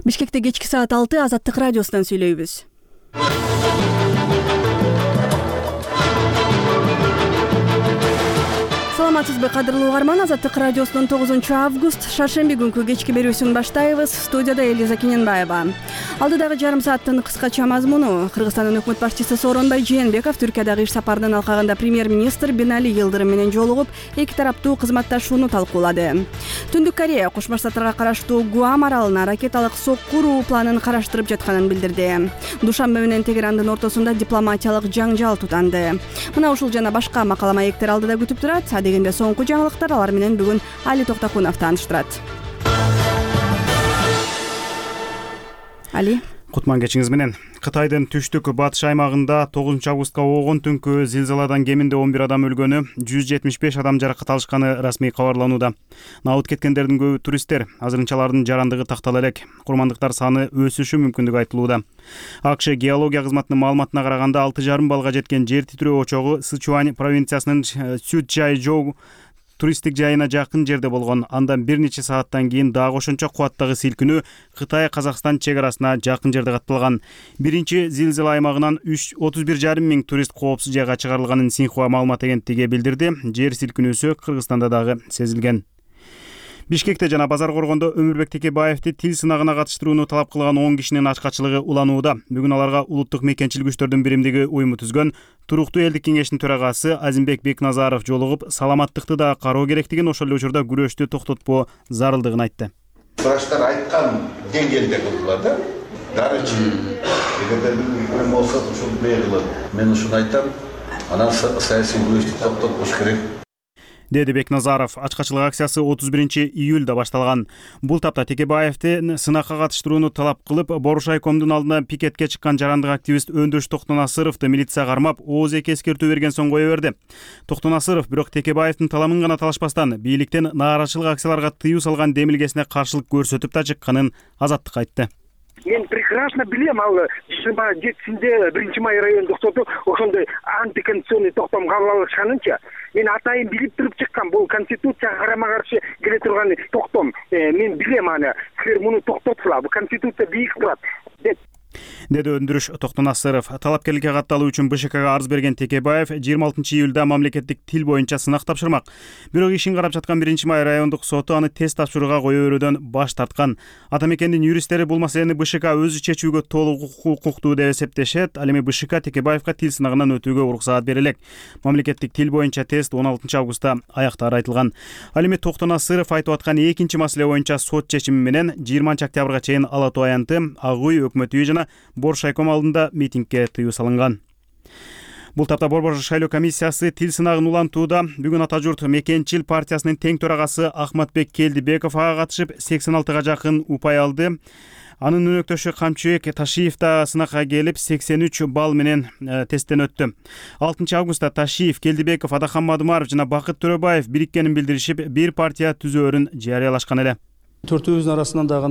Бишкекте кечки саат 6 Азаттык радиосунан сүйлөйбүз. Саламатсызбы, кадырлуу угарман. Азаттык радиосунун 9-август шаршемби күнкү кечки берүүсүн баштайбыз. Студияда Элиза Кененбаева. Алдыдагы жарым сааттын кыскача мазмуну: Кыргызстандын өкмөт башчысы Сооронбай Жээнбеков Түркиядагы иш сапарынын алкагында премьер-министр Бинали Йылдырым менен жолугуп, эки тараптуу кызматташууну талкуулады. Түндүк Корея Кошмо Штаттарга караштуу Гуам аралына ракеталык сокку уруу планын караштырып жатканын билдирди. Душанбе менен Тегерандын ортосунда дипломатиялык жаңжал тутанды. Мына ушул жана башка макала маектер алдыда күтүп турат. Дегенде соңку жаңылыктар, алар менен бүгүн Али Токтакунов тааныштырат. Али, кутман кечиңиз менен. Кытайдын түштүк батыш аймагында 9-августка болгон түнкү зилзаладан кеминде 11 адам өлгөнү, 175 адам жаракат алышканы расмий кабарланууда. Набыт кеткендердин көбү туристтер. Азырынча алардын жарандыгы тактала элек. Курмандыктар саны өсүшү мүмкүндүгү айтылууда. АКШ геология кызматынын маалыматына караганда 6,5 балга жеткен жер титирөө очогу Сычуань провинциясынын Цзючжайжоу туристтик жайына жакын жерде болгон. Андан бир нече сааттан кийин дагы ошончо кубаттагы силкинүү Кытай-Казакстан чек арасына жакын жерде катталган. Биринчи зилзала аймагынан 31,5 миң турист коопсуз жайга чыгарылганын Синьхуа маалымат агенттиги билдирди. Жер силкинүүсү Кыргызстанда дагы сезилген. Бишкекте жана Базар Коргондо Өмүрбек Текебаевди тил сынагына катыштырууну талап кылган 10 кишинин ачкачылыгы уланууда. Бүгүн аларга улуттук мекенчилик күчтөрдүн биримдиги уюму түзгөн. Туруктуу элдик кеңештин төрагасы Азимбек Бекназаров жолугуп, саламаттыкты да кароо керектигин, ошол эле учурда күрөштү токтотпоо зарылдыгын айтты. Врачтар айткан деңгээлде кылдылар да. Дары ичүү. Эгерде бир болсо ушул бейгилет. Мен ушуну айтам. Анан саясий күрөштү токтотуш керек. Деди Бекназаров. Ачкачылык акциясы 31-июлда башталган. Бул тапта Текебаевди сынакка катыштырууну талап кылып, Борушайкомдун алдына пикетке чыккан жарандык активист Өндөш Токтонасыровду милиция кармап, ооз эки эскертүү берген соң кое берди. Токтонасыров бирок Текебаевдин таламын гана талашпастан, бийликтен нааразычылык акцияларга тыюу салган демилгесине каршылык көрсөтүп да чыкканын Азаттыкка айтты. Мен прекрасно билем, ал 27-синде 1-май райондук соту ошондой антиконституционный токтом кабыл алышканынча, мен атайын билип туруп чыккан. Бул конституцияга карама каршы келе турган токтом. Мен билем аны. Силер муну токтотсула. Бул конституция бийик турат деп деди Өндүрүш Токтонасыров. Талапкерликке катталуу үчүн БШКга арыз берген Текебаев 26-июлда мамлекеттик тил боюнча сынак тапшырмак. Бирок ишин карап жаткан 1-май райондук соту аны тест тапшырууга кое берүүдөн баш тарткан. Ата мекендин юристтери бул маселени БШК өзү чечүүгө толук укуктуу деп эсептешет. Ал эми БШК Текебаевга тил сынагынан өтүүгө уруксаат бере элек. Мамлекеттик тил боюнча тест 16-августта аяктаары айтылган. Ал эми Токтонасыров айтып аткан экинчи маселе боюнча сот чечими менен 20-октябрга чейин Ала Тоо аянты, Ак үй, Өкмөт үйү жана Боршайком алдында митингге тыюу салынган. Бул тапта Борбор шайлоо комиссиясы тил сынагын улантууда. Бүгүн Ата журт мекенчил партиясынын тең төрагасы Ахматбек Келдибеков ага катышып 86-га жакын упай алды. Анын өнөктөшү Камчыбек Ташиев да сынакка келип 83 балл менен тесттен өттү. 6-августта Ташиев, Келдибеков, Адахан Мадымаров жана Бакыт Төрөбаев бириккенин билдиришип, бир партия түзөөрүн жарыялашкан эле. Төртөөбүздүн арасынан дагы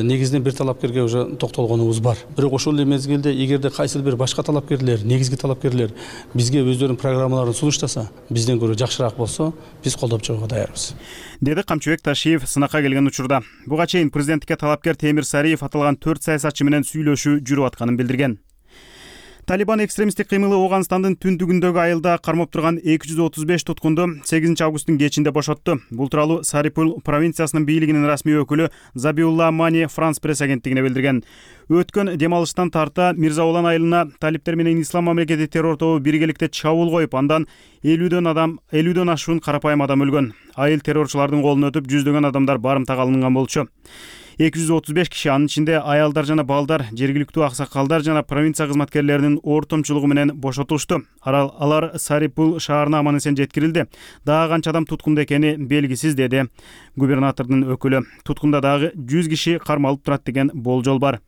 негизинен бир талапкерге уже токтолгонубуз бар. Бирок ошол эле мезгилде эгерде кайсыл бир башка талапкерлер, негизги талапкерлер бизге өздөрүнүн программаларын сунуштаса, бизден көрө жакшыраак болсо, биз колдоп чыгууга даярбыз, деди Камчыбек Ташиев сынакка келген учурда. Буга чейин президенттикке талапкер Темир Сариев аталган 4 саясатчы менен сүйлөшүү жүрүп атканын билдирген. Талибан экстремисттик кыймылы Ооганстандын түндүгүндөгү айылда кармап турган 235 туткунду 8-августтун кечинде бошотту. Бул тууралуу Сарипул провинциясынын бийлигинин расмий өкүлү Забиулла Мани Франс пресс агенттигине билдирген. Өткөн демалыштан тарта Мирза Улан айылына талиптер менен Ислам мамлекети террор тобу биргеликте чабуул коюп, андан 50дөн ашуун карапайым адам өлгөн. Айыл террорчулардын колуна өтүп, жүздөгөн адамдар барымтага алынган болчу. 235 киши, анын ичинде аялдар жана балдар, жергиликтүү аксакалдар жана провинция кызматкерлеринин ортомчулугу менен бошотулушту. Алар Сарипул шаарына аман-эсен жеткирилди. Дагы канча адам туткунда экени белгисиз, деди губернатордун өкүлү. Туткунда дагы 100 киши кармалып турат деген болжол бар.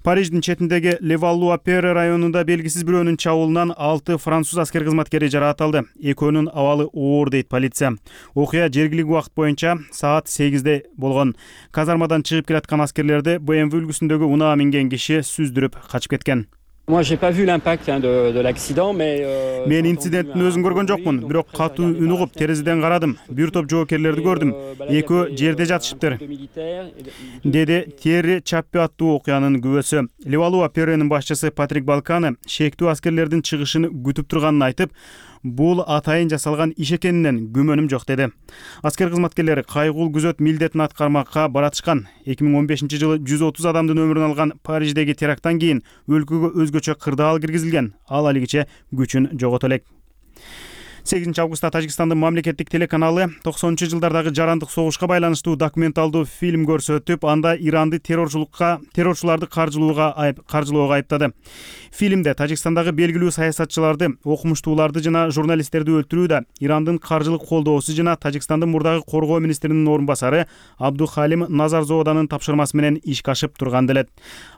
Париждин четиндеги Леваллуа-Перре районунда белгисиз бирөөнүн чабуулунан 6 француз аскер кызматкери жаракат алды. Экөөнүн абалы оор дейт полиция. Окуя жергиликтүү убакыт боюнча саат 8-де болгон. Казармадан чыгып келаткан аскерлерди BMW үлгүсүндөгү унаа минген киши сүздүрүп качып кеткен. Moi, j'ai pas vu l'impact de l'accident, mais Мен инциденттин өзүн көргөн жокмун, бирок катуу үн угуп терезеден карадым. Бир топ жоокерлерди көрдүм. Экөө жерде жатышыптыр, деди Терри Чаппи аттуу окуянын күбөсү. Левалуа Перенин башчысы Патрик Балканы шектүү аскерлердин чыгышын күтүп турганын айтып, бул атайын жасалган иш экенинен күмөнүм жок деди. Аскер кызматкерлери кайгуул күзөт милдетин аткармакка баратышкан. 2015-жылы 130 адамдын өмүрүн алган Париждеги теракттан кийин өлкөгө өзгөчө кырдаал киргизилген. Ал алигиче күчүн жогото элек. 8 августта Тажикстандын мамлекеттик телеканалы 90-жылдардагы жарандык согушка байланыштуу документалдуу фильм көрсөтүп, анда Иранды террорчуларды каржылоого айыптады. Фильмде Тажикстандагы белгилүү саясатчыларды, окумуштууларды жана журналисттерди өлтүрүүдө Ирандын каржылык колдоосу жана Тажикстандын мурдагы коргоо министринин орун басары Абдухалим Назарзоданын тапшырмасы менен ишке ашып турган делет.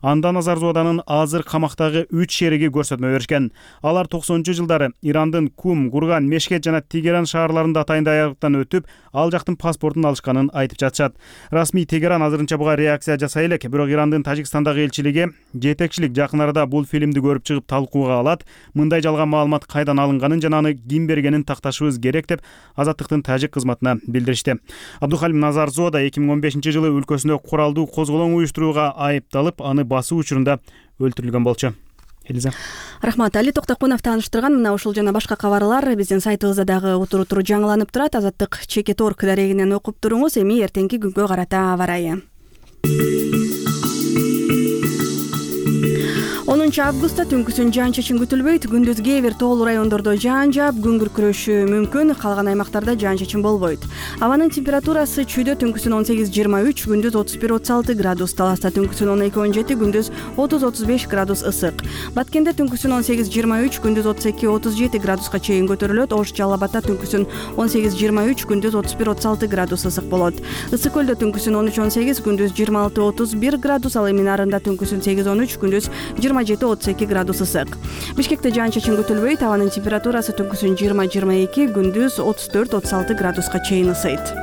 Анда Назарзоданын азыр камактагы 3 шериги көрсөтмө беришкен. Алар 90-жылдары Ирандын Кум, Гурган, Мешхет жана Тегеран шаарларында атайын даярдыктан өтүп, ал жактын паспортун алышканын айтып жатышат. Расмий Тегеран азырынча буга реакция жасай элек, бирок Ирандын Тажикстандагы элчилиги жетекчилик жакын арада бул фильмди көрүп чыгып талкууга алат. Мындай жалган маалымат кайдан алынганын жана аны ким бергенин такташыбыз керек деп Азаттыктын тажик кызматына билдиришти. Абдухалим Назарзода 2015-жылы өлкөсүндө куралдуу козголоң уюштурууга айыпталып, аны басуу учурунда өлтүрүлгөн болчу. Элиза. Рахмат. Али Токтокунов тааныштырган мына ушул жана башка кабарлар биздин сайтыбызда дагы утуру жаңыланып турат. Азаттык Чекет.org дарегинен окуп туруңуз. Эми эртеңки күнгө карата аба ырайы. 10 августта түнкүсүн жаан-чачын күтүлбөйт. Күндүз кээ бир тоолуу райондордо жаан жаап, күн күркүрөшү мүмкүн. Калган аймактарда жаан-чачын болбойт. Абанын температурасы чүйдө түнкүсүн 18-23, күндүз 31-36 градус, Таласта түнкүсүн 12-17, күндүз 30-35 градус ысык. Баткенде түнкүсүн 18-23, күндүз 32-37 градуска чейин көтөрүлөт. Ош Жалал Абадта түнкүсүн 18-23, күндүз 31-36 градус ысык болот. Ысык көлдө түнкүсүн 13-18, күндүз 26-31 градус, ал эми Нарында түнкүсүн 8-13, күндүз 27-32 градус ысык. Бишкекте жаан-чачын күтүлбөйт. Абанын температурасы түнкүсүн 20-22, күндүз 34-36 градуска чейин ысыйт.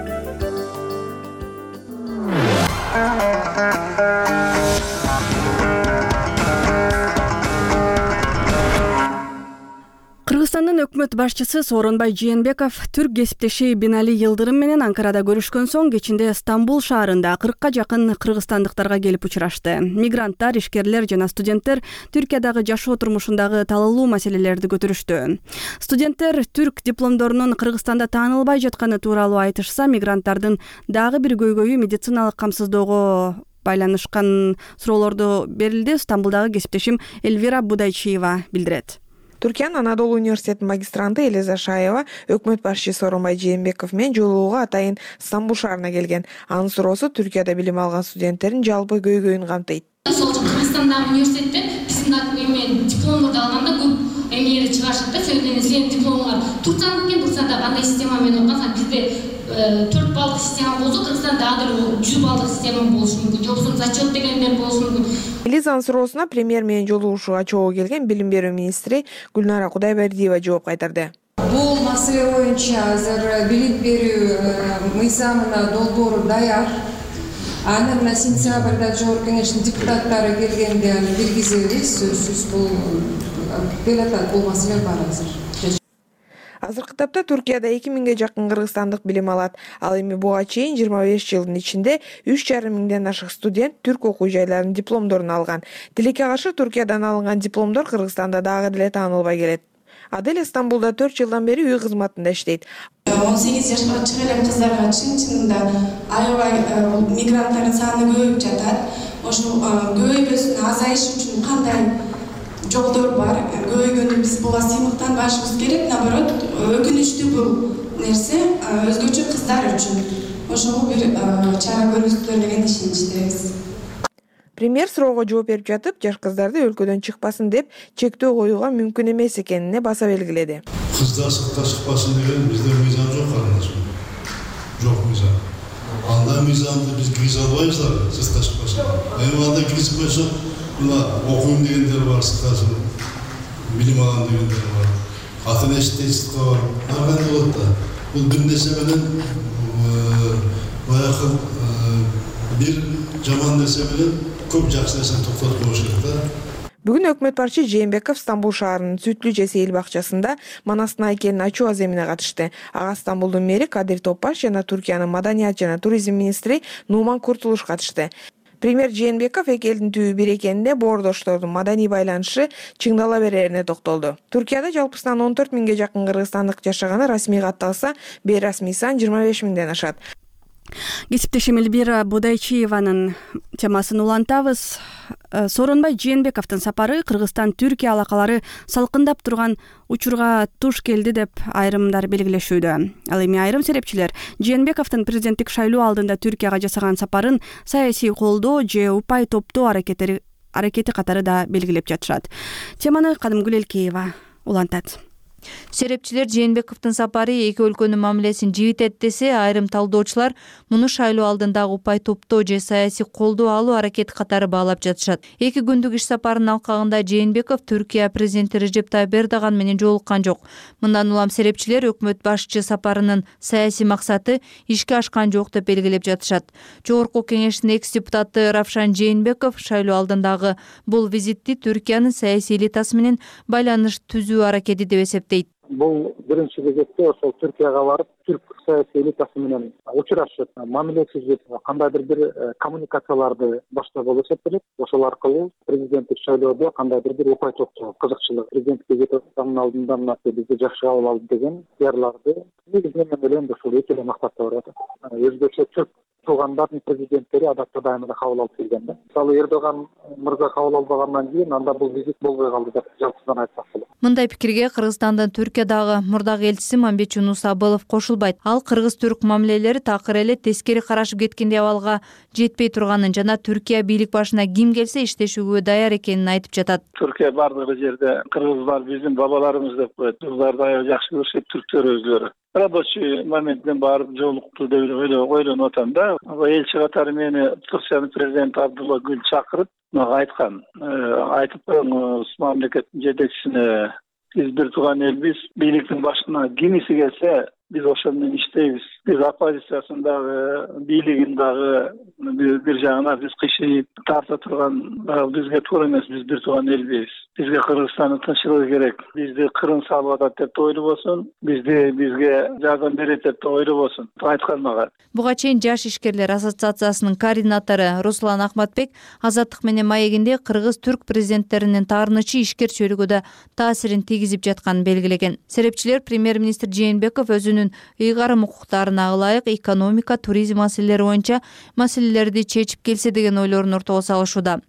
Кыргызстандын өкмөт башчысы Сооронбай Жээнбеков түрк кесиптеши Бинали Йылдырым менен Анкарада көрүшкөн соң кечинде Стамбул шаарында 40ка жакын кыргызстандыктарга келип учурашты. Мигранттар, ишкерлер жана студенттер Түркиядагы жашоо турмушундагы талаалуу маселелерди көтөрүштү. Студенттер түрк дипломдорунун Кыргызстанда таанылбай жатканы тууралуу айтышса, мигранттардын дагы бир көйгөйү медициналык камсыздоого байланышкан суроолорду берилди. Стамбулдагы кесиптешим Эльвира Будайчиева билдирет. Түркиянын Анадолу университетинин магистранты Элиза Шаева өкмөт башчысы Сооронбай Жээнбеков менен жолугууга атайын Стамбул шаарына келген. Анын суроосу Түркияда билим алган студенттердин жалпы көйгөйүн камтыйт. Сол Кыргызстандагы университетте биздин дипломду алганда көп эмнелерди чыгарышат да. Себеби сенин дипломуңар Турцияда кандай система менен окуган, бизде 4 баллык система болсо, Кыргызстанда дагы 100 баллык система болушу мүмкүн. Жоксу зачет дегендер болушу мүмкүн. Элизанын суроосуна премьер менен жолугушууга чогуу келген билим берүү министри Гүлнара Кудайбердиева жооп кайтарды. Бул маселе боюнча азыр билим берүү мыйзамына долбоору даяр. Аны мына сентябрда жогорку кеңештин депутаттары келгенде аны киргизебиз. Сөзсүз бул келатат, бул маселе бар азыр. Азыркы тапта Түркияда 2000ге жакын кыргызстандык билим алат. Ал эми буга чейин 25 жылдын ичинде 3,5 миңден ашык студент түрк окуу жайларынын дипломдорун алган. Тилекке каршы Түркиядан алынган дипломдор Кыргызстанда дагы деле таанылбай келет. Адель Стамбулда 4 жылдан бери үй кызматында иштейт. 18 жашка чыккан кыздарга чын-чынында аябай мигранттардын саны көбөйүп жатат. Ошол көбөйбөсүн азайыш үчүн кандай жолдор бар? Көбөйгөндө биз буга сыймыктанбашыбыз керек. Наоборот, өкүнүчтүү бул нерсе өзгөчө кыздар үчүн. Ошого бир чара көрүңүздөр деген ишеничтебиз. Премьер суроого жооп берип жатып, жаш кыздарды өлкөдөн чыкпасын деп чектөө коюуга мүмкүн эмес экенине баса белгиледи. Кыздар сыртка чыкпасын деген бизде мыйзам жок карындашым. Жок мыйзам. Анда мыйзамды биз киргизе албайбыз да, сыртка чыкпасын. Эми анда киргизип койсок, мына окуйм дегендер бар, сырткасын, билим алам дегендер бар. Атын эшиктей сыртка бар. Кандай болот да? Бул бир нерсе менен баягы бир жаман нерсе менен көп жакшы нерсени токтотуп коюш керек да. Бүгүн өкмөт башчы Жээнбеков Стамбул шаарынын Сүтлүү же Сейил бакчасында Манастын айкелин ачуу аземине катышты. Ага Стамбулдун мэри Кадир Топбаш жана Түркиянын маданият жана туризм министри Нуман Куртулуш катышты. Премьер Жээнбеков эки элдин түбү бир экенинде боордоштордун маданий байланышы чыңдала берерине токтолду. Түркияда жалпысынан 14 миңге жакын кыргызстандык жашаганы расмий катталса, бейрасмий сан 25 миңден ашат. Кесиптешим Эльбира Будайчиеванын темасын улантабыз. Сооронбай Жээнбековдун сапары Кыргызстан-Түркия алакалары салкындап турган учурга туш келди деп айрымдар белгилешүүдө. Ал эми айрым серепчилер Жээнбековдун президенттик шайлоо алдында Түркияга жасаган сапарын саясий колдоо же упай топтоо аракети катары да белгилеп жатышат. Теманы Кадымгүл Элкеева улантат. Серепчилер Жээнбековдун сапары эки өлкөнүн мамилесин жибитет десе, айрым талдоочулар муну шайлоо алдындагы упай топтоо же саясий колдоо алуу аракети катары баалап жатышат. Эки күндүк иш сапарынын алкагында Жээнбеков Түркия президенти Режеп Тайып Эрдоган менен жолуккан жок. Мындан улам серепчилер өкмөт башчы сапарынын саясий максаты ишке ашкан жок деп белгилеп жатышат. Жогорку кеңештин экс-депутаты Равшан Жээнбеков шайлоо алдындагы бул визитти Түркиянын саясий элитасы менен байланыш түзүү аракети деп эсептейт. Бул биринчи кезекте ошол Түркияга барып, түрк саясий элитасы менен учурашып, мамиле түзүп, кандайдыр бир коммуникацияларды баштоо болуп эсептелет. Ошол аркылуу президенттик шайлоодо кандайдыр бир упай топтоо, кызыкчылык, президенттикке кетип алдында мынасы бизди жакшы кабыл алды деген пиарларды негизинен мен ойлойм ушул эки эле максатта барып атат. Өзбекче түрк туугандардын президенттери адатта дайыма да кабыл алып келген да. Мисалы Эрдоган мырза кабыл албагандан кийин анда бул визит болбой калды деп жалпысынан айтсак болот. Мындай пикирге Кыргызстандын Түркиядагы мурдагы элчиси Мамбет Жунус Абылов кошулбайт. Ал кыргыз-түрк мамилелери такыр эле тескери карашып кеткендей абалга жетпей турганын жана Түркия бийлик башына ким келсе иштешүүгө даяр экенин айтып жатат. Түркия бардыгы жерде кыргыздар биздин бабаларыбыз деп коет. Кыргыздар аябай жакшы көрүшөт, түрктөр өзлөрү. Рабочий моментден барып жолукту деп ойлонуп атам да. Элчи катары мени Туркиянын президенти Абдулла Гүл чакырып, мага айткан. Айтып коюңуз мамлекеттин жетекчисине, биз бир тууган элбиз, бийликтин башына кимиси келсе биз ошол менен иштейбиз. Биз оппозициясын дагы, бийлигин дагы бир жагына биз кыйшайып тарта турган бизге туура эмес, биз бир тууган элбиз. Бизге Кыргызстандын тынччылыгы керек. Бизди кырын салып атат деп да ойлобосун, бизге жардам берет деп да ойлобосун. Айткан мага. Буга чейин Жаш ишкерлер ассоциациясынын координатору Руслан Ахматбек Азаттык менен маегинде кыргыз-түрк президенттеринин таарынычы ишкер чөйрөгө да таасирин тийгизип жатканын белгилеген. Серепчилер премьер-министр Жээнбеков өзүнүн ыйгарым укуктарына ылайык экономика, туризм маселелери боюнча маселелерди чечип келсе деген ойлорун ортого салышууда.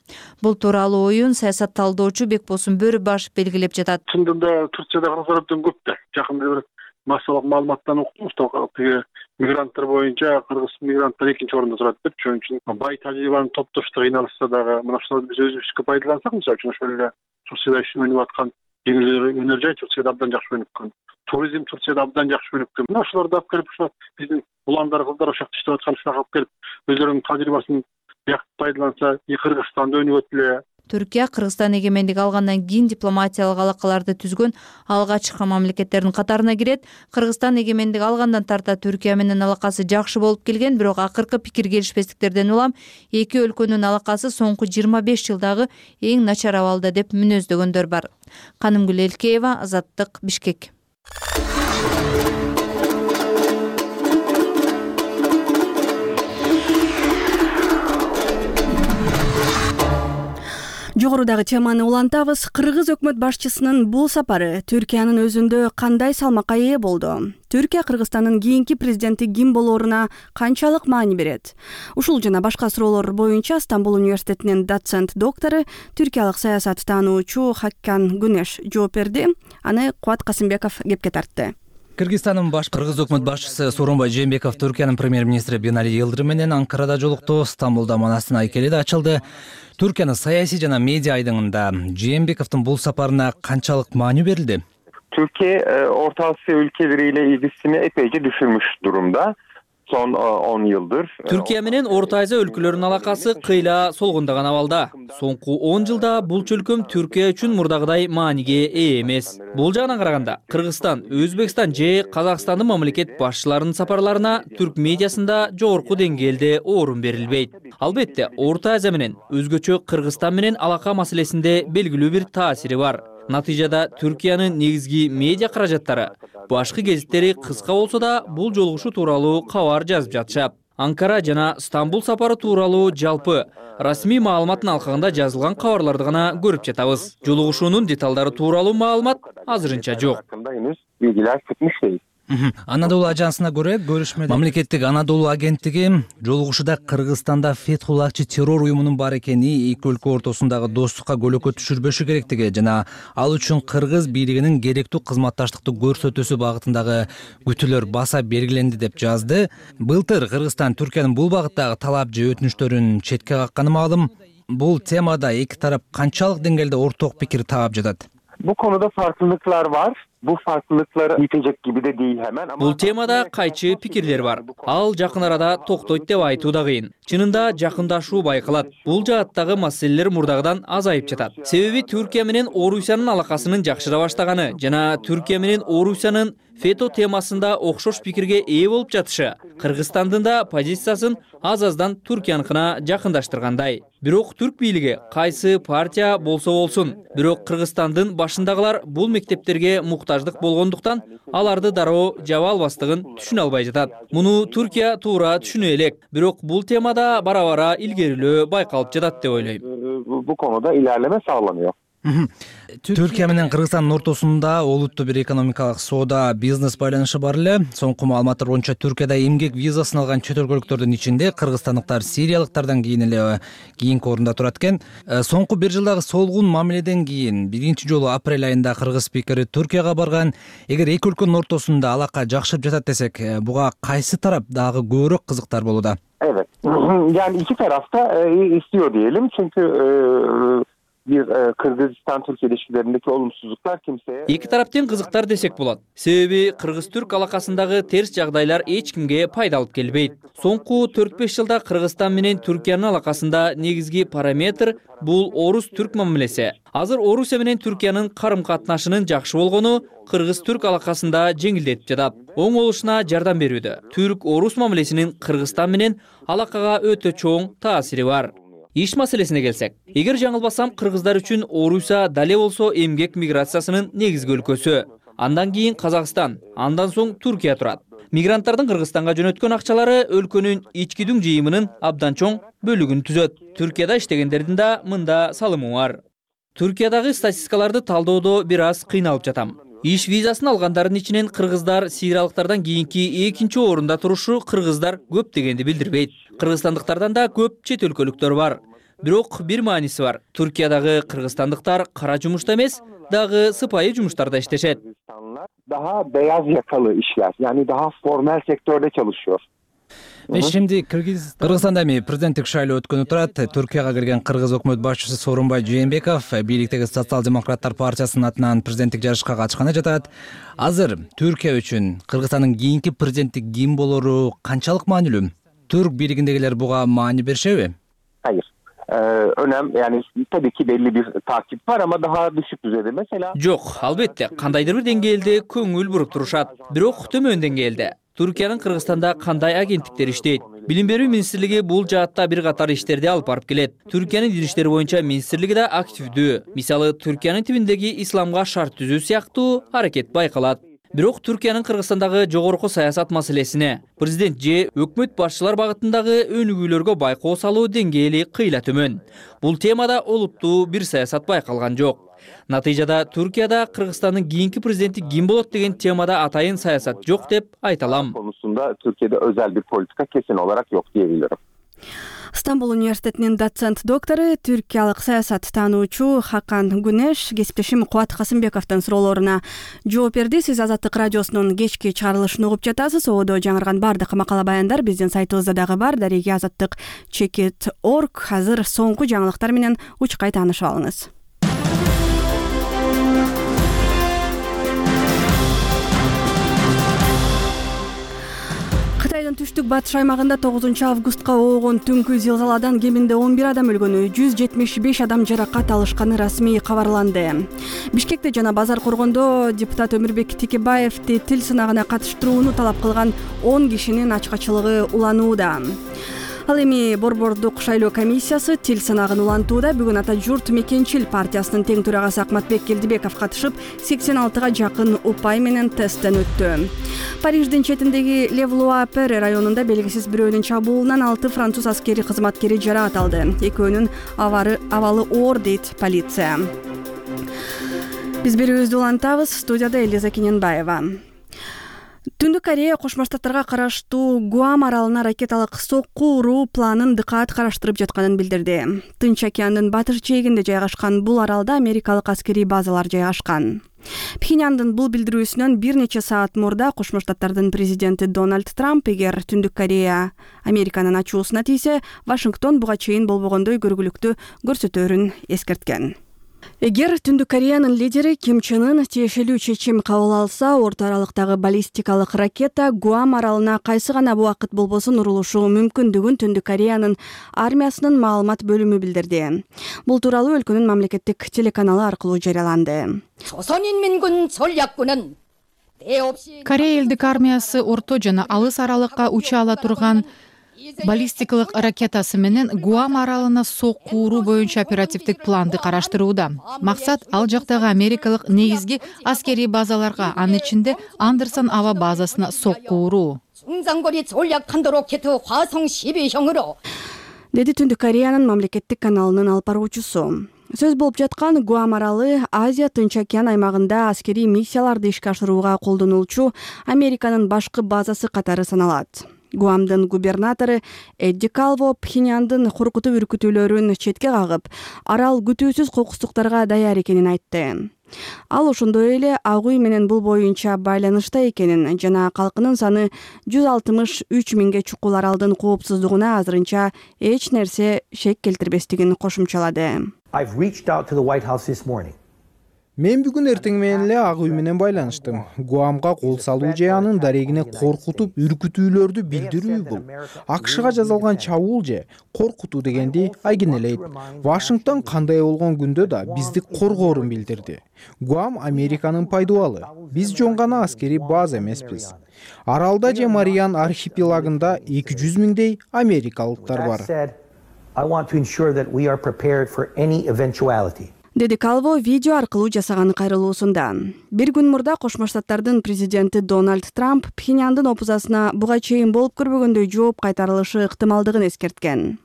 Бул тууралуу оюн саясат талдоочу Бекбосун Бөрүбаш белгилеп жатат. Чындыгында Туркияда кыргыздар абдан көп да. Жакында бир массалык маалыматтан уктум, тиги мигранттар боюнча кыргыз мигранттар экинчи орунда турат деп. Ошон үчүн бай тажрыйбаны топтоштук кыйналышса дагы мына ушуларды биз өзүбүзгө пайдалансак, мисалы үчүн ошол эле Туркияда өнүп аткан жеңил өнөр жай Туркияда абдан жакшы өнүп аткан. Туризм Туркияда абдан жакшы өнүп аткан. Мына ушуларды алып келип ушул биздин уландар кыздар ошол жакта иштеп аткан ушуга алып келип өзлөрүнүн тажрыйбасын бияк пайдаланса, Кыргызстанда өнүгөт эле. Түркия Кыргызстан эгемендик алгандан кийин дипломатиялык алакаларды түзгөн алгачкы мамлекеттердин катарына кирет. Кыргызстан эгемендик алгандан тарта Түркия менен алакасы жакшы болуп келген, бирок акыркы пикир келишпестиктерден улам эки өлкөнүн алакасы соңку 25 жылдагы эң начар абалда деп мүнөздөгөндөр бар. Канымгүл Элкеева, Азаттык, Бишкек. Жогорудагы теманы улантабыз. Кыргыз өкмөт башчысынын бул сапары Түркиянын өзүндө кандай салмакка ээ болду? Түркия Кыргызстандын кийинки президенти ким болооруна канчалык маани берет? Ушул жана башка суроолор боюнча Стамбул университетинин доцент доктору, түркиялык саясат таануучу Хаккан Гүнеш жооп берди. Аны Кубат Касымбеков кепке тартты. Кыргызстандын кыргыз өкмөт башчысы Сооронбай Жээнбеков Түркиянын премьер-министри Бинали Йылдырым менен Анкарада жолукту. Стамбулда Манастын айкели да ачылды. Түркиянын саясий жана медиа айдыңында Жээнбековдун бул сапарына канчалык маани берилди? Türkiye Orta Asya ülkeleriyle ilgisini epeyce düşürmüş durumda. son 10 yıldır. Türkiye менен Орто Азия өлкөлөрүнүн алакасы кыйла солгундаган абалда. Соңку 10 жылда бул чөлкөм Түркия үчүн мурдагыдай мааниге ээ эмес. Бул жагынан караганда Кыргызстан, Өзбекстан же Казакстандын мамлекет башчыларынын сапарларына түрк медиасында жогорку деңгээлде орун берилбейт. Албетте, Орто Азия менен өзгөчө Кыргызстан менен алака маселесинде белгилүү бир таасири бар. Натыйжада Түркиянын негизги медиа каражаттары башкы гезиттери кыска болсо да бул жолугушуу тууралуу кабар жазып жатышат. Анкара жана Стамбул сапары тууралуу жалпы расмий маалыматтын алкагында жазылган кабарларды гана көрүп жатабыз. Жолугушуунун деталдары тууралуу маалымат азырынча жок. Анадолу ажансына көрө көрүшмөдө мамлекеттик Анадолу агенттиги жолугушууда Кыргызстанда Фетхуллахчы террор уюмунун бар экени, эки өлкө ортосундагы достукка көлөкө түшүрбөшү керектиги жана ал үчүн кыргыз бийлигинин керектүү кызматташтыкты көрсөтүүсү багытындагы күтүүлөр баса белгиленди деп жазды. Былтыр Кыргызстан Түркиянын бул багыттагы талап же өтүнүштөрүн четке какканы маалым. Бул темада эки тарап канчалык деңгээлде орток пикир таап жатат? Bu konuda farklılıklar var. Bu farklılıkları yitecek gibi de değil hemen ama... Бул темада кайчы пикирлер бар. Ал жакын арада токтойт деп айтуу да кыйын. Чынында жакындашуу байкалат. Бул жааттагы маселелер мурдагыдан азайып жатат. Себеби Түркия менен Орусиянын алакасынын жакшыра баштаганы жана Түркия менен Орусиянын фето темасында окшош пикирге ээ болуп жатышы Кыргызстандын да позициясын аз-аздан Түркияныкына жакындаштыргандай. Бирок түрк бийлиги кайсы партия болсо болсун, бирок Кыргызстандын башындагылар бул мектептерге муктаждык болгондуктан аларды дароо жаба албастыгын түшүнө албай жатат. Муну Түркия туура түшүнө элек, бирок бул темада бара-бара илгерилөө байкалып жатат деп ойлойм. Bu konuda ilerleme sağlanıyor. Түркия менен Кыргызстандын ортосунда олуттуу бир экономикалык соода, бизнес байланышы бар эле. Соңку маалыматтар боюнча Түркияда эмгек визасын алган чет өлкөлүктөрдүн ичинде кыргызстандыктар сириялыктардан кийин эле кийинки орунда турат экен. Соңку бир жылдагы солгун мамиледен кийин биринчи жолу апрель айында кыргыз спикери Түркияга барган. Эгер эки өлкөнүн ортосунда алака жакшырып жатат десек, буга кайсы тарап дагы көбүрөөк кызыктар болууда? Evet. Yani iki taraf da istiyor diyelim çünkü bir Kırgızistan-Türkiye ilişkilerindeki olumsuzluklar kimseye... Эки тараптын кызыктар десек болот. Себеби Кыргыз-Түрк алакасындагы терс жагдайлар эч кимге пайда алып келбейт. Соңку 4-5 жылда Кыргызстан менен Түркиянын алакасында негизги параметр бул Орус-Түрк мамилеси. Азыр Орусия менен Түркиянын карым-катнашынын жакшы болгону Кыргыз-Түрк алакасында жеңилдетип жатат. Оң болушуна жардам берүүдө. Түрк-Орус мамилесинин Кыргызстан менен алакага өтө чоң таасири бар. Иш маселесине келсек, эгер жаңылбасам, кыргыздар үчүн Орусия дале болсо эмгек миграциясынын негизги өлкөсү. Андан кийин Казакстан, андан соң Түркия турат. Мигранттардын Кыргызстанга жөнөткөн акчалары өлкөнүн ички дүң жыйымынын абдан чоң бөлүгүн түзөт. Түркияда иштегендердин да мында салымы бар. Түркиядагы статистикаларды талдоодо бир аз кыйналып жатам. Иш визасын алгандардын ичинен кыргыздар сириялыктардан кийинки экинчи орунда турушу кыргыздар көп дегенди билдирбейт. Кыргызстандыктардан да көп чет өлкөлүктөр бар. Бирок бир мааниси бар. Түркиядагы кыргызстандыктар кара жумушта эмес, дагы сыпайы жумуштарда иштешет. Daha beyaz yakalı işler, yani daha formel sektörde çalışıyor. Şimdi Kırgızstanda эми президенттик шайлоо өткөнү турат. Түркияга келген кыргыз өкмөт башчысы Сооронбай Жээнбеков бийликтеги Социал-демократтар партиясынын атынан президенттик жарышка катышканы жатат. Азыр Түркия үчүн Кыргызстандын кийинки президенттик ким болору канчалык маанилүү? Түрк бийлигиндегилер буга маани беришеби? Hayır. Önem yani tabii ki belli bir takip var ama daha düşük düzeyde mesela. Жок, албетте, кандайдыр бир деңгээлде көңүл буруп турушат. Бирок төмөн деңгээлде. Түркиянын Кыргызстанда кандай агенттиктер иштейт? Билим берүү министрлиги бул жаатта бир катар иштерди алып барып келет. Түркиянын дин иштери боюнча министрлиги да активдүү. Мисалы, Түркиянын тибиндеги исламга шарт түзүү сыяктуу аракет байкалат. Бирок Түркиянын Кыргызстандагы жогорку саясат маселесине, президент же өкмөт башчылар багытындагы өнүгүүлөргө байкоо салуу деңгээли кыйла төмөн. Бул темада олуттуу бир саясат байкалган жок. Натыйжада Түркияда Кыргызстандын кийинки президенти ким болот деген темада атайын саясат жок деп айта алам. Konusunda Türkiye'de özel bir politika kesin olarak yok diyebilirim. Стамбул университетинин доцент доктору, түркиялык саясат таануучу Хакан Гүнеш кесиптешим Кубат Касымбековдун суроолоруна жооп берди. Сиз Азаттык радиосунун кечки чыгарылышын угуп жатасыз. Одо жаңырган бардык макала баяндар биздин сайтыбызда дагы бар. Дареги azattik.org. Азыр соңку жаңылыктар менен учкай таанышып алыңыз. Кореянын түштүк батыш аймагында 9 августка оогон түнкү зилзаладан кеминде 11 адам өлгөнү, 175 адам жаракат алышканы расмий кабарланды. Бишкекте жана Базар Коргондо депутат Өмүрбек Текебаевди тил сынагына катыштырууну талап кылган 10 кишинин ачкачылыгы уланууда. Ал эми Борбордук шайлоо комиссиясы тил сынагын улантууда. Бүгүн Ата журт Мекенчил партиясынын тең төрагасы Акматбек Келдибеков катышып, 86-га жакын упай менен тесттен өттү. Париждин четиндеги Левлуа-Перре районунда белгисиз бирөөнүн чабуулунан 6 француз аскери кызматкери жаракат алды. Экөөнүн абалы оор дейт полиция. Биз берүүбүздү улантабыз. Студияда Элиза Кененбаева. Түндүк Корея Кошмо Штаттарга караштуу Гуам аралына ракеталык сокку уруу планын дыкаат караштырып жатканын билдирди. Тынч океандын батыш жээгинде жайгашкан бул аралда америкалык аскерий базалар жайгашкан. Пхеньяндын бул билдирүүсүнөн бир нече саат мурда Кошмо Штаттардын президенти Дональд Трамп эгер Түндүк Корея Американын ачуусуна тийсе, Вашингтон буга чейин болбогондой көргүлүктү көрсөтөөрүн эскерткен. Эгер Түндүк Кореянын лидери Ким Чен Ын тиешелүү чечим кабыл алса, орто аралыктагы баллистикалык ракета Гуам аралына кайсы гана убакыт болбосун урулушу мүмкүндүгүн Түндүк Кореянын армиясынын маалымат бөлүмү билдирди. Бул тууралуу өлкөнүн мамлекеттик телеканалы аркылуу жарыяланды. Корея элдик армиясы орто жана алыс аралыкка уча ала турган баллистикалык ракетасы менен Гуам аралына сокку уруу боюнча оперативдик планды караштырууда. Максат ал жактагы америкалык негизги аскерий базаларга, анын ичинде Андерсон аба базасына сокку уруу. Деди Түндүк Кореянын мамлекеттик каналынын алып баруучусу. Сөз болуп жаткан Гуам аралы Азия Тынч океан аймагында аскерий миссияларды ишке ашырууга колдонулчу Американын башкы базасы катары саналат. Гуамдын губернатору Эдди Калво Пхеньяндын коркутуп үркүтүүлөрүн четке кагып, арал күтүүсүз кокустуктарга даяр экенин айтты. Ал ошондой эле Ак үй менен бул боюнча байланышта экенин жана калкынын саны 163 миңге чукул аралдын коопсуздугуна азырынча эч нерсе шек келтирбестигин кошумчалады. Мен бүгүн эртең менен эле Ак үй менен байланыштым. Гуамга кол салуу же анын дарегине коркутуп үркүтүүлөрдү билдирүү бул. АКШга жазылган чабуул же коркутуу дегенди айгинелейт. Вашингтон кандай болгон күндө да бизди коргоорун билдирди. Гуам Американын пайдубалы. Биз жөн гана аскерий база эмеспиз. Аралда же Мариан архипелагында 200 миңдей америкалыктар бар. Деди Калво видео аркылуу жасаган кайрылуусунда. Бир күн мурда Кошмо Штаттардын президенти Дональд Трамп Пхеньяндын опузасына буга чейин болуп көрбөгөндөй жооп кайтарылышы ыктымалдыгын эскерткен.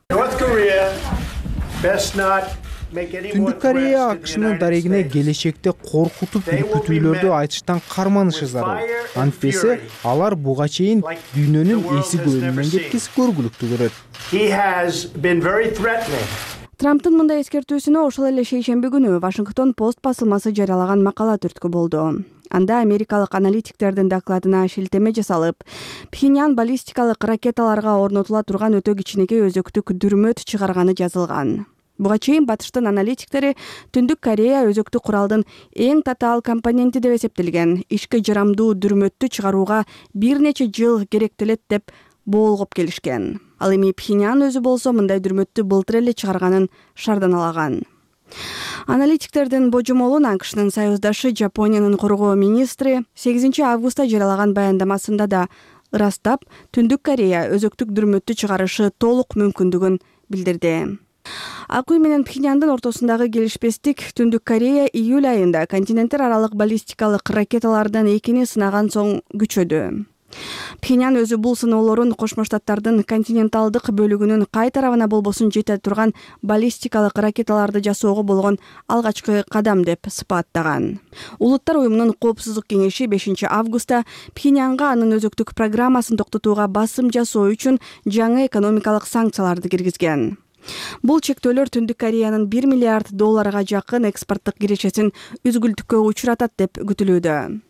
Түндүк Корея АКШнын дарегине келечекте коркутуп үркүтүүлөрдү айтыштан карманышы зарыл. Антпесе алар буга чейин дүйнөнүн эси көбүнөн кеткис көргүлүктү көрөт. Трамптын мындай эскертүүсүнө ошол эле шейшемби күнү Вашингтон Пост басылмасы жарыялаган макала түрткү болду. Анда америкалык аналитиктердин докладына шилтеме жасалып, Пхеньян баллистикалык ракеталарга орнотула турган өтө кичинекей өзөктүк дүрмөт чыгарганы жазылган. Буга чейин батыштын аналитиктери Түндүк Корея өзөктүк куралдын эң татаал компоненти деп эсептелген ишке жарамдуу дүрмөттү чыгарууга бир нече жыл керектелет деп боолгоп келишкен. Ал эми Пхеньян өзү болсо мындай дүрмөттү былтыр эле чыгарганын шарданалаган. Аналитиктердин божомолун АКШнын союздашы Жапониянын коргоо министри 8 августта жарыялаган баяндамасында да ырастап, Түндүк Корея өзөктүк дүрмөттү чыгарышы толук мүмкүндүгүн билдирди. Ак үй менен Пхеньяндын ортосундагы келишпестик Түндүк Корея июль айында континенттер аралык баллистикалык ракеталардан экини сынаган соң күчөдү. Пхеньян өзү бул сыноолорун Кошмо Штаттардын континенталдык бөлүгүнүн кай тарабына болбосун жете турган баллистикалык ракеталарды жасоого болгон алгачкы кадам деп сыпаттаган. Улуттар уюмунун коопсуздук кеңеши 5 августта Пхеньянга анын өзөктүк программасын токтотууга басым жасоо үчүн жаңы экономикалык санкцияларды киргизген. Бул чектөөлөр Түндүк Кореянын $1 миллиард жакын экспорттук кирешесин үзгүлтүккө учуратат деп күтүлүүдө.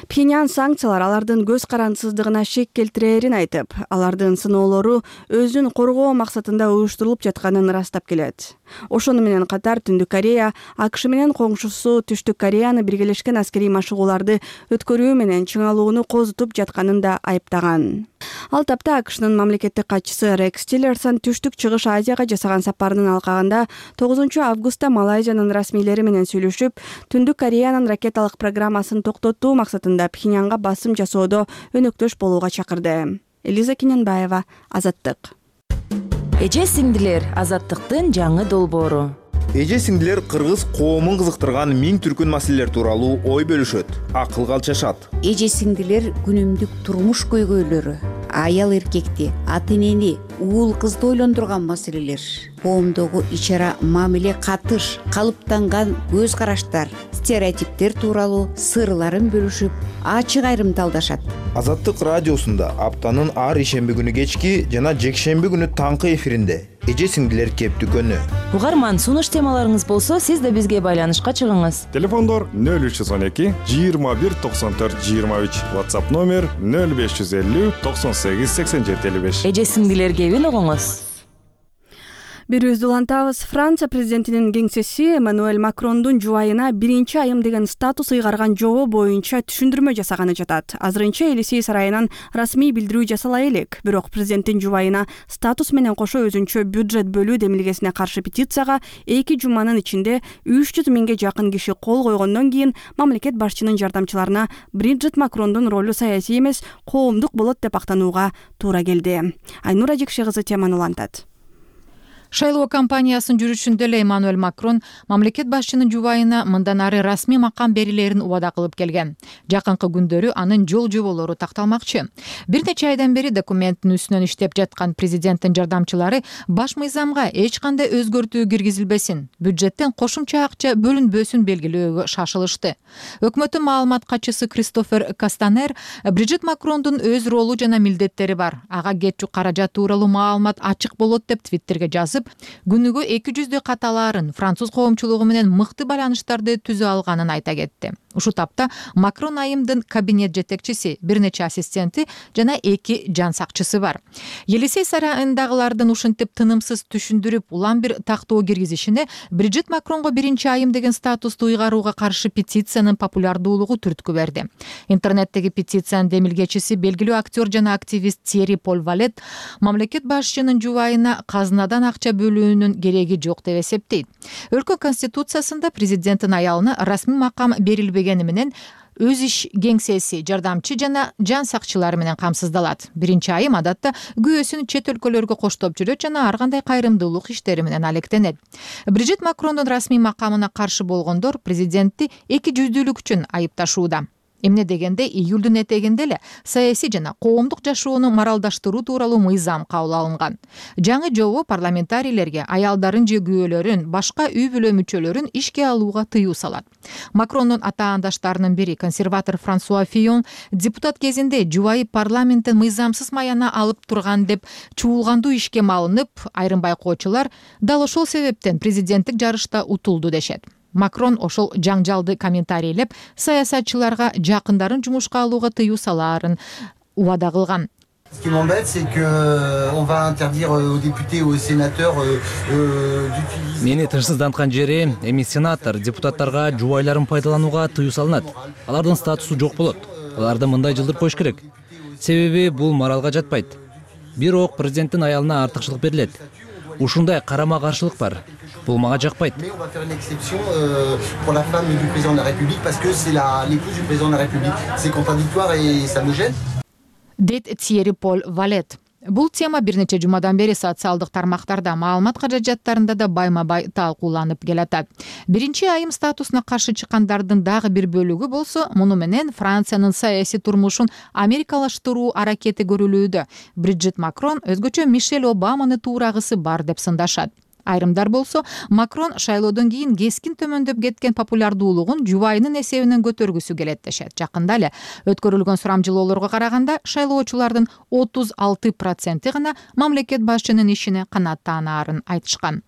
Пхеньян санкциялар алардын көз карандысыздыгына шек келтирээрин айтып, алардын сыноолору өзүн коргоо максатында уюштурулуп жатканын ырастап келет. Ошону менен катар Түндүк Корея АКШ менен коңшусу Түштүк Кореяны биргелешкен аскерий машыгууларды өткөрүү менен чыңалууну козутуп жатканын да айыптаган. Ал тапта АКШнын мамлекеттик катчысы Рекс Тиллерсон Түштүк Чыгыш Азияга жасаган сапарынын алкагында 9 августта Малайзиянын расмийлери менен сүйлөшүп, Түндүк Кореянын ракеталык программасын токтотуу максатында Пхеньянга басым жасоодо өнөктөш болууга чакырды. Элиза Кененбаева, Азаттык. Эже сиңдилер, Азаттыктын жаңы долбоору. Эже сиңдилер кыргыз коомун кызыктырган миң түркүн маселелер тууралуу ой бөлүшөт, акыл калчашат. Эже сиңдилер күнүмдүк турмуш көйгөйлөрү, аял эркекти, ата энени, уул кызды ойлондурган маселелер, коомдогу ичара мамиле катыш, калыптанган көз караштар, стереотиптер тууралуу сырларын бөлүшүп, ачык айрымталдашат. Азаттык радиосунда аптанын ар ишемби күнү кечки жана жекшемби күнү таңкы эфиринде эже сиңдилер кептүкөнү. Угарман, сунуш темаларыңыз болсо, сиз да бизге байланышка чыгыңыз. Телефондор 0312 21 94 23, WhatsApp номер 0550 98 87 55. Эже сиңдилер кебин угуңуз. Бирибизди улантабыз. Франция президентинин кеңсеси Эммануэль Макрондун жубайына 1-айым деген статус ыйгарган жобо боюнча түшүндүрмө жасаганы жатат. Азырынча Елисей сарайынан расмий билдирүү жасала элек, бирок президенттин жубайына статус менен кошо өзүнчө бюджет бөлүү демилгесине каршы петицияга 2 жуманын ичинде 300 миңге жакын киши кол койгондон кийин мамлекет башчынын жардамчыларына Бриджит Макрондун ролу саясий эмес, коомдук болот деп актанууга туура келди. Айнура Жекше кызы теманы улантат. Шайлоо кампаниясынын жүрүшүндө эле Эммануэль Макрон мамлекет башчынын жубайына мындан ары расмий макам берилерин убада кылып келген. Жакынкы күндөрү анын жол жоболору такталмакчы. Бир нече айдан бери документтин үстүнөн иштеп жаткан президенттин жардамчылары баш мыйзамга эч кандай өзгөртүү киргизилбесин, бюджеттен кошумча акча бөлүнбөсүн белгилөөгө шашылышты. Өкмөттүн маалымат катчысы Кристофер Кастанер Бриджит Макрондун өз ролу жана милдеттери бар. Ага кетчү каражат тууралуу маалымат ачык болот деп Твиттерге жазып, күнүгө 200 каталарын француз коомчулугу менен мыкты байланыштарды түзө алганын айта кетти. Ушу тапта Макрон айымдын кабинет жетекчиси, бир нече ассистенти жана 2 жан сакчысы бар. Елисей сарайындагылардын ушинтип тынымсыз түшүндүрүп, улам бир тактоо киргизишине Бриджит Макронго 1-айым деген статусту ыйгарууга каршы петициянын популярдуулугу түрткү берди. Интернеттеги петициянын демилгечиси, белгилүү актер жана активист Тьерри Поль Валет мамлекет башчынын жубайына казынадан акча бөлүүнүн кереги жок деп эсептейт. Өлкө конституциясында президенттин аялына расмий макам берилбегени менен өз иш кеңсеси, жардамчы жана жан сакчылары менен камсыздалат. 1-айым адатта күйөөсүн чет өлкөлөргө коштоп жүрөт жана ар кандай кайрымдуулук иштери менен алектенет. Бриджит Макрондун расмий макамына каршы болгондор президентти 200-дүүлүк үчүн айыпташууда. Эмне дегенде, июлдун этегинде эле саясий жана коомдук жашоону моралдаштыруу тууралуу мыйзам кабыл алынган. Жаңы жобо парламентарийлерге аялдарын же күйөөлөрүн, башка үй бүлө мүчөлөрүн ишке алууга тыюу салат. Макрондун атаандаштарынын бири, консерватор Франсуа Фийон, депутат кезинде жубайы парламенттен мыйзамсыз маяна алып турган деп чуулгандуу ишке малынып, айрым байкоочулар дал ошол себептен президенттик жарышта утулду дешет. Макрон ошол жаңжалды комментарийлеп, саясатчыларга жакындарын жумушка алууга тыюу салаарын убада кылган. Ce qui m'embête, c'est qu'on va interdire aux députés, aux sénateurs d'utiliser... Мени тынчсызданткан жери, эми сенатор, депутаттарга жубайларын пайдаланууга тыюу салынат. Алардын статусу жок болот. Аларды мындай жылдырып коюш керек. Себеби бул моралга жатпайт. Бирок президенттин аялына артыкчылык берилет. Ушундай карама-каршылык бар. Бул мага жакпайт. Mais on va faire une exception pour la femme du président de la République parce que c'est l'épouse du président de la République. C'est contradictoire et ça me gêne. Дейт Тьерри Поль Валет. Бул тема бир нече жумадан бери социалдык тармактарда, маалымат каражаттарында да байма-бай талкууланып келатат. 1-айым статусуна каршы чыккандардын дагы бир бөлүгү болсо, муну менен Франциянын саясий турмушун америкалаштыруу аракети көрүлүүдө. Бриджит Макрон өзгөчө Мишель Обаманы туурагысы бар деп сындашат. Айрымдар болсо, Макрон шайлоодон кийин кескин төмөндөп кеткен популярдуулугун жубайынын эсебинен көтөргүсү келет дешет. Жакында эле өткөрүлгөн сурамжылоолорго караганда шайлоочулардын 36% гана мамлекет башчынын ишине канааттанаарын айтышкан.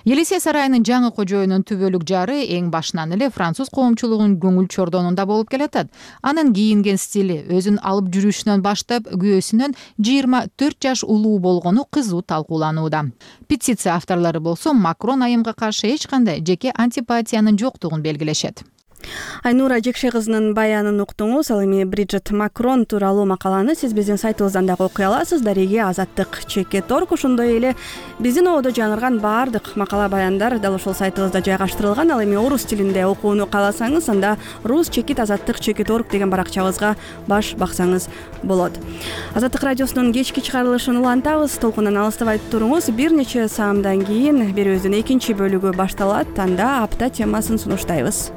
Елисей сарайынын жаңы кожоюнун түбөлүк жары эң башынан эле француз коомчулугунун көңүл чордонунда болуп келатат. Анын кийинген стили, өзүн алып жүрүшүнөн баштап күйөөсүнөн 24 жаш улуу болгону кызуу талкууланууда. Петиция авторлору болсо, Макрон айымга каршы эч кандай жеке антипатиянын жоктугун белгилешет. Айнура Жекше кызынын баянын уктуңуз. Ал эми Бриджит Макрон тууралуу макаланы сиз биздин сайтыбыздан дагы окуй аласыз. Дареги Азаттык _org. Ошондой эле биздин ободо жаңырган баардык макала баяндар дал ушул сайтыбызда жайгаштырылган. Ал эми орус тилинде окууну кааласаңыз, анда rus_azattyk.org деген баракчабызга баш баксаңыз болот. Азаттык радиосунун кечки чыгарылышын улантабыз. Толкундан алыстабай туруңуз. Бир нече саамдан кийин берүүбүздүн экинчи бөлүгү башталат. Анда апта темасын сунуштайбыз.